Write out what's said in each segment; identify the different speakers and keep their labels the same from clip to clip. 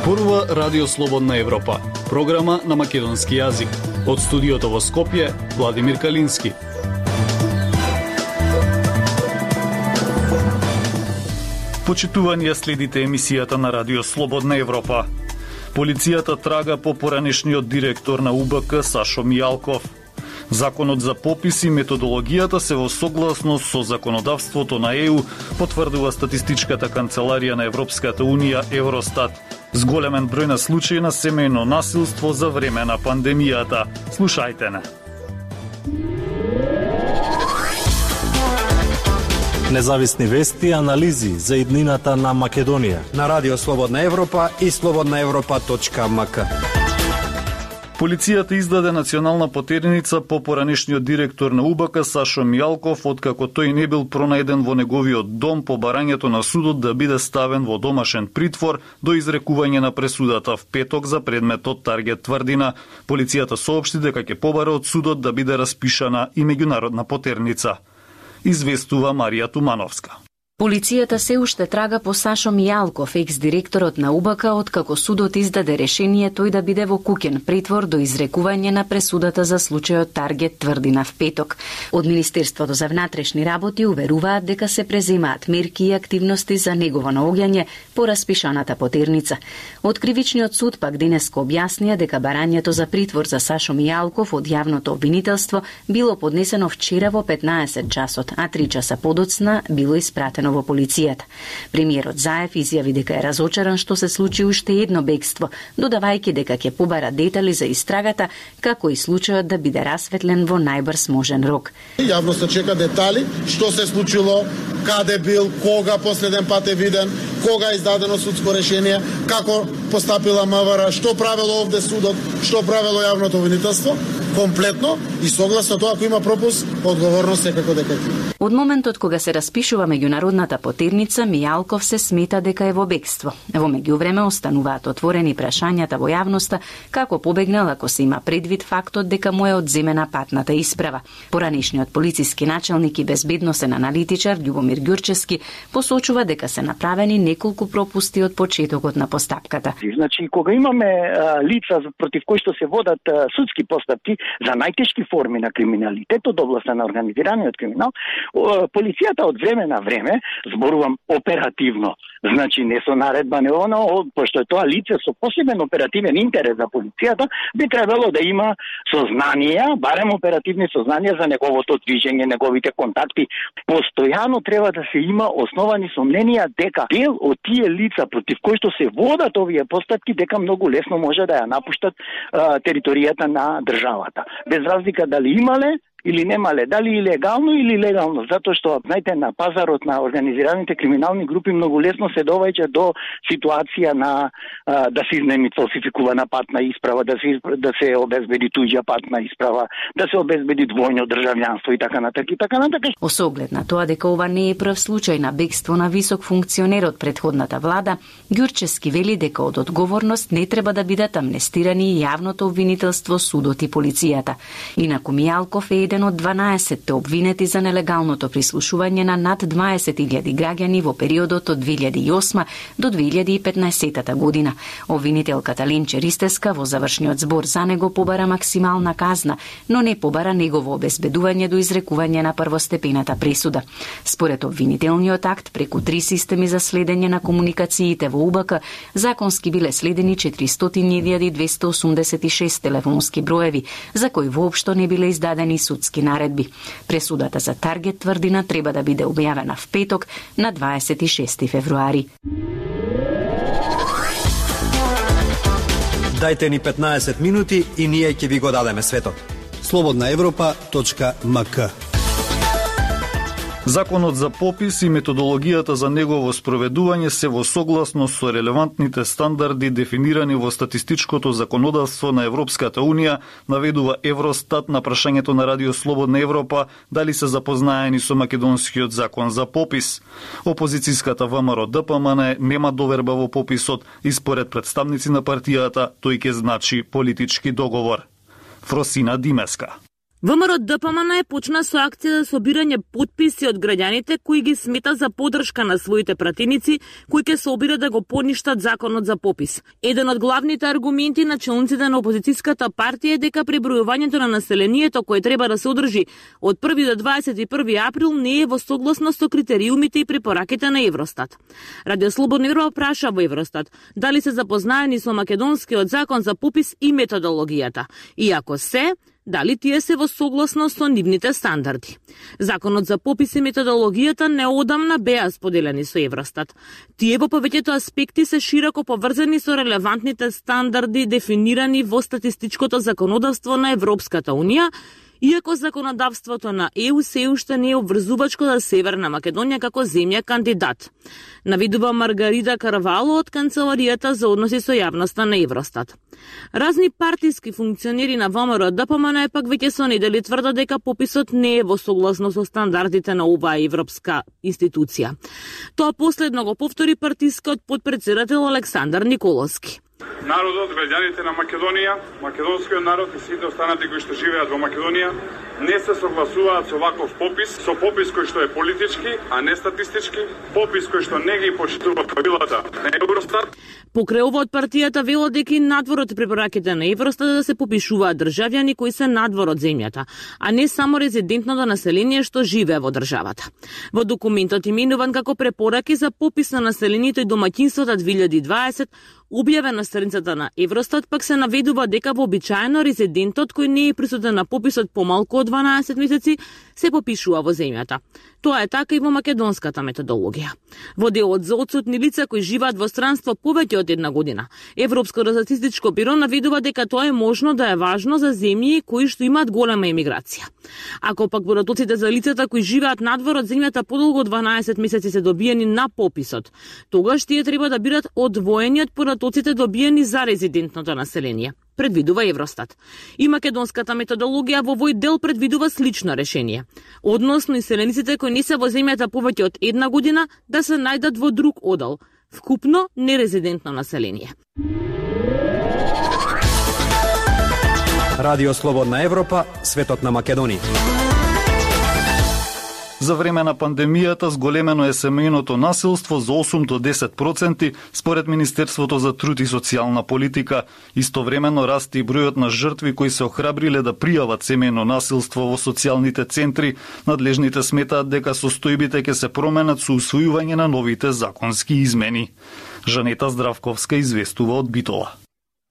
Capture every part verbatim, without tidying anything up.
Speaker 1: Зборува Радио Слободна Европа, програма на македонски јазик. Од студиото во Скопје, Владимир Калински. Почитувани, следите емисијата на Радио Слободна Европа. Полицијата трага по поранешниот директор на У Б К Сашо Мијалков. Законот за попис и методологијата се во согласност со законодавството на Е У, потврдува статистичката канцеларија на Европската Унија Евростат. Зголемен број на случаи на семејно насилство за време на пандемијата. Слушајте не.
Speaker 2: Независни вести и анализи за иднината на Македонија
Speaker 3: на Радио Слободна Европа и слободна европа точка ем ка.
Speaker 1: Полицијата издаде национална потерница по поранешниот директор на У Б К Сашо Мијалков, откако тој не бил пронајден во неговиот дом по барањето на судот да биде ставен во домашен притвор до изрекување на пресудата в петок за предметот Таргет Тврдина. Полицијата соопшти дека ќе побара од судот да биде распишана и меѓународна потерница. Известува Марија Тумановска.
Speaker 4: Полицијата се уште трага по Сашо Мијалков, екс-директорот на У Б К, откако судот издаде решение тој да биде во куќен притвор до изрекување на пресудата за случајот Таргет Тврдина в петок. Од Министерството за внатрешни работи уверуваат дека се преземаат мерки и активности за негово наоѓање по распишаната потерница. Од Кривичниот суд пак денеска објаснија дека барањето за притвор за Сашо Мијалков од јавното обвинителство било поднесено вчера во петнаесет часот, а три часа подоцна било испратено во полицијата. Премиерот Заев изјави дека е разочаран што се случи уште едно бегство, додавајќи дека ќе побара детали за истрагата, како и случајот да биде расветлен во најбрз можен рок.
Speaker 5: Јавноста чека детали, што се случило, каде бил, кога последен пат е виден, кога е издадено судско решение, како постапила М В Р, што правело овде судот, што правело јавното обвинителство, комплетно и согласно тоа ако има пропуск, одговорност секако дека ќе.
Speaker 4: Од моментот кога се распишува меѓународната потерница, Мијалков се смета дека е во бегство. Во меѓувреме остануваат отворени прашањата во јавноста како побегнал ако се има предвид фактот дека му е одземена патната исправа. Поранешниот полициски началник и безбедносен аналитичар Љубомир Ѓурчевски посочува дека се направени неколку пропусти од почетокот на постапката.
Speaker 6: Значи, кога имаме а, лица против кои што се водат а, судски постапки за најтешки форми на криминалитет од областа на организираниот криминал, полицијата од време на време, зборувам оперативно, значи не со наредба, не оно, пошто е тоа лице со посебен оперативен интерес за полицијата, би требало да има сознанија, барем оперативни сознанија за неговото движење, неговите контакти. Постојано треба да се има основани сомненија дека дел од тие лица против кои што се водат овие постапки, дека многу лесно може да ја напуштат а, територијата на државата. Без разлика дали имале или немале, дали илегално или легално, затоа што, знаете, на пазарот на организираните криминални групи многу лесно се доваѓа до ситуација на а, да се изнеми фалсификувана патна исправа, да се да се обезбеди туѓа патна исправа, да се обезбеди двојно државјанство и така натаму и така натаму.
Speaker 4: Осоглед на тоа дека ова не е прв случај на бегство на висок функционер од претходната влада, Ѓурчевски вели дека од одговорност не треба да бидат амнестирани јавното обвинителство, судот и полицијата. Инаку Мијалков е еден од дванаесетте обвинети за нелегалното прислушување на над дваесет илјади граѓани во периодот од две илјади и осма до две илјади и петнаесета година. Обвинителката Ленче Ристевска во завршниот збор за него побара максимална казна, но не побара негово обезбедување до изрекување на првостепената пресуда. Според обвинителниот акт, преку три системи за следење на комуникациите во У Б К, законски биле следени четиристотини илјади двесте осумдесет и шест телефонски броеви, за кои воопшто не биле издадени судски наредби. Пресудата за Таргет Тврдина треба да биде објавена в петок на дваесет и шести февруари.
Speaker 3: Дајте ни петнаесет минути и ние ќе ви го дадеме светот. слободна европа точка ем ка.
Speaker 1: Законот за попис и методологијата за негово спроведување се во согласност со релевантните стандарди дефинирани во статистичкото законодавство на Европската Унија, наведува Евростат на прашањето на Радио Слободна Европа дали се запознаени со македонскиот закон за попис. Опозицијската Вэ Ем Р Д П М Н нема доверба во пописот и според представници на партијата тој ќе значи политички договор. Фросина Димеска.
Speaker 7: ВМРО Д П М Н почна со акција за собирање потписи од граѓаните кои ги смета за поддршка на своите пратеници кои ќе се обидат да го поништат законот за попис. Еден од главните аргументи на челниците на опозицијската партија е дека пребројувањето на населението кое треба да се одржи од први до дваесет и први април не е во согласност со критериумите и препораките на Евростат. Радио Слободна Европа праша во Евростат дали се запознаени со македонскиот закон за попис и методологијата. И ако се, дали тие се во согласност со нивните стандарди. Законот за попис и методологијата неодамна беа споделени со Евростат. Тие во повеќето аспекти се широко поврзани со релевантните стандарди дефинирани во статистичкото законодавство на Европската Унија, иако законодавството на Е У се уште не е обврзувачко за Северна Македонија како земја кандидат. Навидува Маргарита Карвало од Канцеларијата за односи со јавноста на Евростат. Разни партиски функционери на ВМРО Д П М Н пак веќе со недели тврдат дека пописот не е во согласно со стандардите на оваа европска институција. Тоа последно го повтори партискиот потпредседател Александар Николовски.
Speaker 8: Народот, граѓаните на Македонија, македонскиот народ и сите останати кои што живеат во Македонија не се согласуваат со ваков попис, со попис кој што е политички, а не статистички, попис кој што не ги почитува правилата на Евростат.
Speaker 7: Покрај ова од партијата велат дека и надвор од препораките на Евростат да се попишуваат државјани кои се надвор од земјата, а не само резидентното население што живее во државата. Во документот именуван како препораки за попис на населението и домаќинствата две илјади и дваесет, објавен на страницата на Евростат, пак се наведува дека вообичаено резидентот кој не е присутен на пописот помалку од дванаесет месеци се попишува во земјата. Тоа е така и во македонската методологија. Во делот за отсутни лица кои живеат во странство повеќе од една година, Европското статистичко биро наведува дека тоа е можно да е важно за земји кои што имаат голема емиграција. Ако пак податоците за лицата кои живеат надвор од земјата подолго од дванаесет месеци се добиени на пописот, тогаш тие треба да бидат одвоени од податоците добиени за резидентното население, предвидува Евростат. И македонската методологија во овој дел предвидува слично решение. Односно иселениците кои не се во земјата повеќе од една година да се најдат во друг одел, вкупно нерезидентно население.
Speaker 3: Радио Слободна Европа, светот на Македонија.
Speaker 1: За време на пандемијата зголемено е семејното насилство за осум до десет проценти според Министерството за труд и социјална политика. Истовремено расте и бројот на жртви кои се охрабриле да пријават семејно насилство во социјалните центри. Надлежните сметаат дека состојбите ќе се променат со усвојување на новите законски измени. Жанета Здравковска известува од Битола.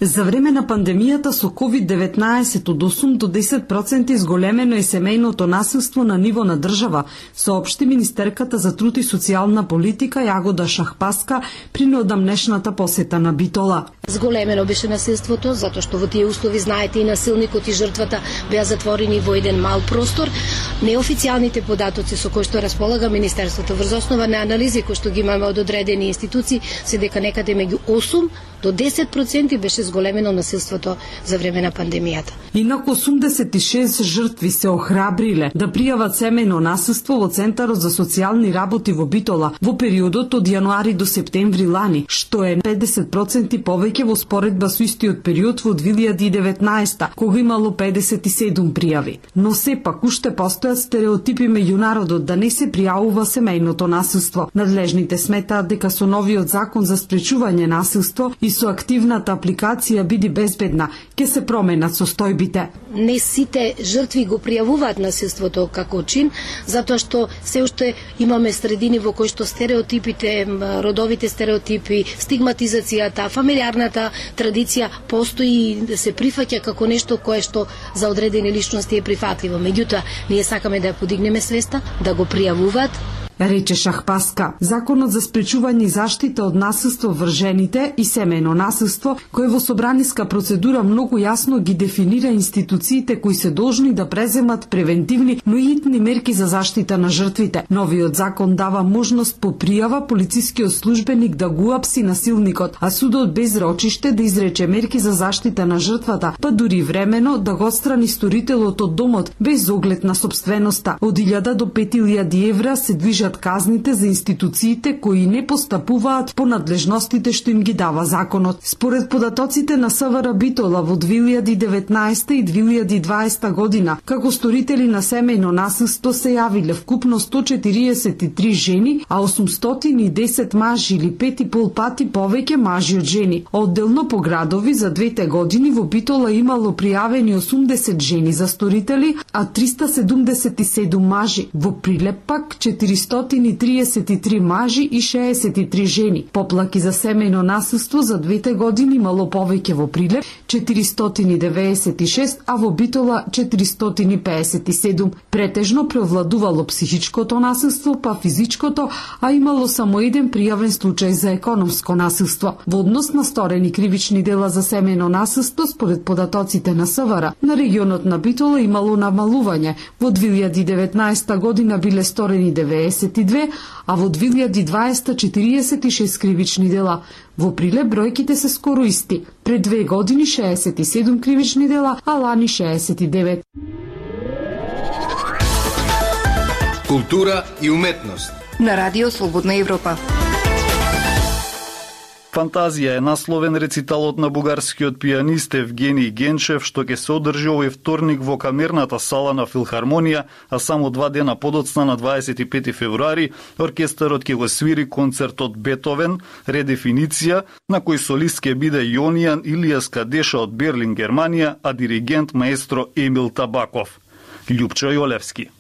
Speaker 9: За време на пандемијата со ковид деветнаесет од осум до десет проценти зголемено е семејното насилство на ниво на држава, соопшти министерката за труд и социјална политика Јагода Шахпаска при неодамнешната посета на Битола.
Speaker 10: Зголемено беше насилството, затоа што во тие услови, знаете, и насилникот и жртвата беа затворени во еден мал простор. Неофицијалните податоци со кои што располага Министерството врз основа на анализи кои што ги имаме од одредени институции се дека некаде меѓу осум до десет проценти беше зголемено насилството за време на пандемијата.
Speaker 9: Инаку осумдесет и шест жртви се охрабриле да пријават семејно насилство во Центарот за социјални работи во Битола во периодот од јануари до септември лани, што е педесет проценти повеќе во споредба со истиот период во две илјади и деветнаесета, кога имало педесет и седум пријави. Но сепак уште постојат стереотипи меѓу народот да не се пријавува семејното насилство. Надлежните сметаат дека со новиот закон за спречување насилство и со активната апликација Биди безбедна, ќе се променат состојбите.
Speaker 10: Не сите жртви го пријавуваат насилството како чин, затоа што се уште имаме средини во кои што стереотипите, родовите стереотипи, стигматизацијата, фамилиарната традиција постои и се прифаќа како нешто кое што за одредени личности е прифатливо. Меѓутоа, ние сакаме да ја подигнеме свеста, да го пријавуваат,
Speaker 9: рече Шахпаска. Законот за спречување и заштита од насилство врз жените и семејно насилство, кој во собраниска процедура многу јасно ги дефинира институциите кои се должни да преземат превентивни, но и итни мерки за заштита на жртвите. Новиот закон дава можност по пријава полицискиот службеник да го апси насилникот, а судот без рочиште да изрече мерки за заштита на жртвата, па дури времено да го отстрани сторителот од домот без оглед на сопственоста. Од илјада до пет илјади евра се движат увеличат казните за институциите кои не постапуваат по надлежностите што им ги дава законот. Според податоците на СВР Битола во две илјади и деветнаесета и две илјади и дваесета година, како сторители на семејно насилство се јавиле вкупно сто четириесет и три жени, а осумстотини и десет мажи или пет и пол пати повеќе мажи од жени. Одделно по градови за двете години во Битола имало пријавени осумдесет жени за сторители, а триста седумдесет и седум мажи. Во Прилеп пак четиристотини и триесет и три мажи и шеесет и три жени. Поплаки за семејно насилство за двете години имало повеќе во Прилеп четиристотини и деветдесет и шест, а во Битола четиристотини и пеесет и седум. Претежно превладувало психичкото насилство, па физичкото, а имало само еден пријавен случај за економско насилство. Во однос на сторени кривични дела за семејно насилство, според податоците на СВР, на регионот на Битола имало намалување. Во две илјади и деветнаесета година биле сторени деветдесет и две, а во две илјади и дваесета четириесет и шест кривични дела. Во Прилеп бројките се скоро исти. Пред две години шеесет и седум кривични дела, а лани шеесет и девет.
Speaker 11: Култура и уметност
Speaker 12: на Радио Слободна Европа.
Speaker 1: Фантазија е насловен рециталот на бугарскиот пианист Евгений Генчев, што ќе се одржи овој вторник во камерната сала на Филхармонија, а само два дена подоцна на дваесет и пети февруари оркестарот ќе го свири концертот Бетовен, редефиниција, на кој солист ќе биде Јонијан Илијас Кадеша од Берлин, Германија, а диригент маестро Емил Табаков. Љупчо Јолевски.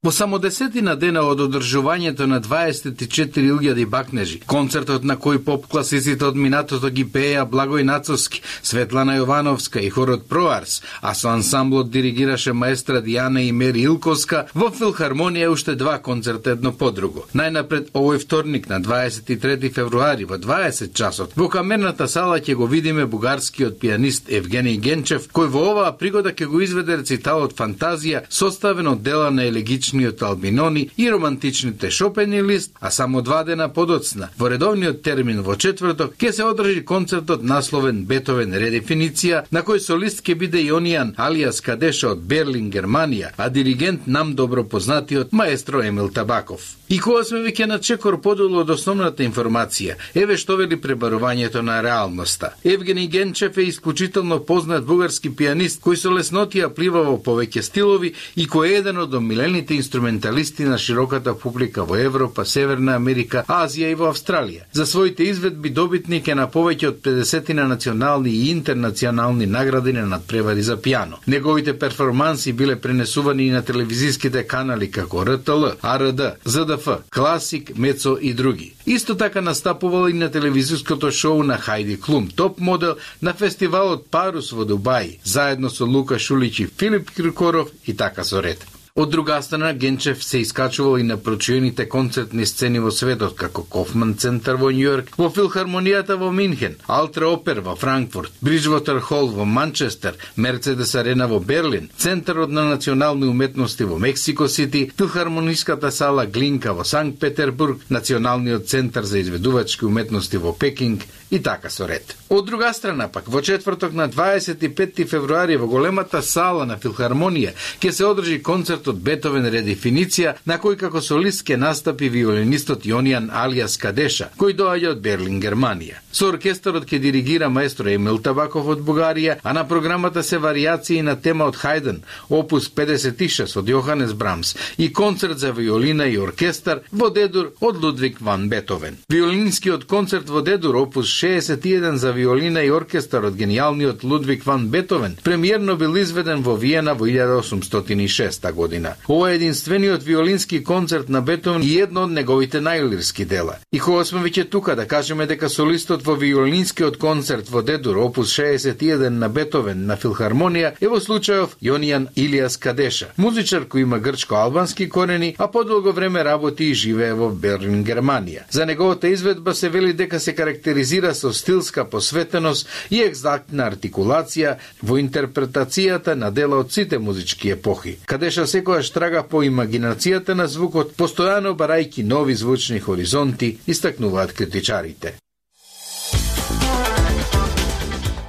Speaker 13: Во само десетина дена од одржувањето на дваесет и четири илјади бакнежи, концертот на кој поп-класиците од минатото ги пееа Благој Нацовски, Светлана Јовановска и хорот Проарс, а со ансамблот диригираше маестра Дијана и Мери Илковска, во Филхармонија уште два концерта едно по друго. Најнапред овој вторник на дваесет и трети февруари во дваесет часот во камерната сала ќе го видиме бугарскиот пианист Евгений Генчев, кој во оваа пригода ќе го изведе рециталот Фантазија, составен од дела на елегични Албинони и романтичните Шопен и Лист, а само два дена подоцна, во редовниот термин во четврток, ќе се одржи концертот насловен Бетовен редефиниција, на кој солист ќе биде Јонијан алијас Кадеша од Берлин, Германија, а диригент нам добро познатиот маестро Емил Табаков. И кога сме веќе на чекор подолу од основната информација, еве што вели пребарувањето на реалноста. Евгений Генчев е исклучително познат бугарски пианист кој со леснотија плива во повеќе стилови и кој е еден од омилените инструменталисти на широката публика во Европа, Северна Америка, Азија и во Австралија. За своите изведби добитник е на повеќе од педесет на национални и интернационални награди на надпревари за пијано. Неговите перформанси биле пренесувани и на телевизиските канали како Р Т Л, А Р Д, З Д Ф, Класик, Мецо и други. Исто така настапувал и на телевизиското шоу на Хајди Клум, топ модел на фестивалот Парус во Дубај, заедно со Лука Шулич и Филип Киркоров и така со ред. Од друга страна, Генчев се искачувал и на прочуените концертни сцени во светот, како Кофман центар во Њујорк, во Филхармонијата во Минхен, Алтра Опер во Франкфурт, Бриджвотер Хол во Манчестер, Мерцедес Арена во Берлин, Центарот на национални уметности во Мексико Сити, Филхармониската сала Глинка во Санкт Петербург, Националниот центар за изведувачки уметности во Пекинг и така со ред. Од друга страна пак, во четврток на дваесет и пети февруари во големата сала на Филхармонија ќе се одржи концерт од Бетовен редефиниција, на кој како солист ќе настапи виолинистот Јонијан алијас Кадеша, кој доаѓа од Берлин, Германија. Со оркестарот ќе диригира маестро Емил Табаков од Бугарија, а на програмата се варијации на тема од Хајден, опус педесет и шест од Јоханес Брамс и концерт за виолина и оркестар во Д-дур од Лудвиг ван Бетовен. Виолинскиот концерт во Д-дур, опус шеесет и еден за виолина и оркестар од гениалниот Лудвиг ван Бетовен, премиерно бил изведен во Виена во илјада осумстотини и шеста година. Ова е единствениот виолински концерт на Бетовен и едно од неговите најлирски дела. И кога сме веќе тука да кажеме дека солистот во виолинскиот концерт во Д-дур, опус шеесет и еден на Бетовен на Филхармонија е во случајов Јонијан Илијас Кадеша, музичар кој има грчко-албански корени, а подолго време работи и живее во Берлин, Германија. За неговата изведба се вели дека се карактеризира со стилска посветеност и екзактна артикулација во интерпретацијата на дела од сите музички епохи. Кадеша секојаш трага по имагинацијата на звукот, постојано барајки нови звучни хоризонти, истакнуваат критичарите.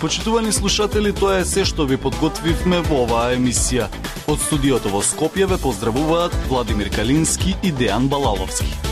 Speaker 1: Почитувани слушатели, тоа е се што ви подготвивме во оваа емисија. Од студиото во Скопје ве поздравуваат Владимир Калински и Дејан Балаловски.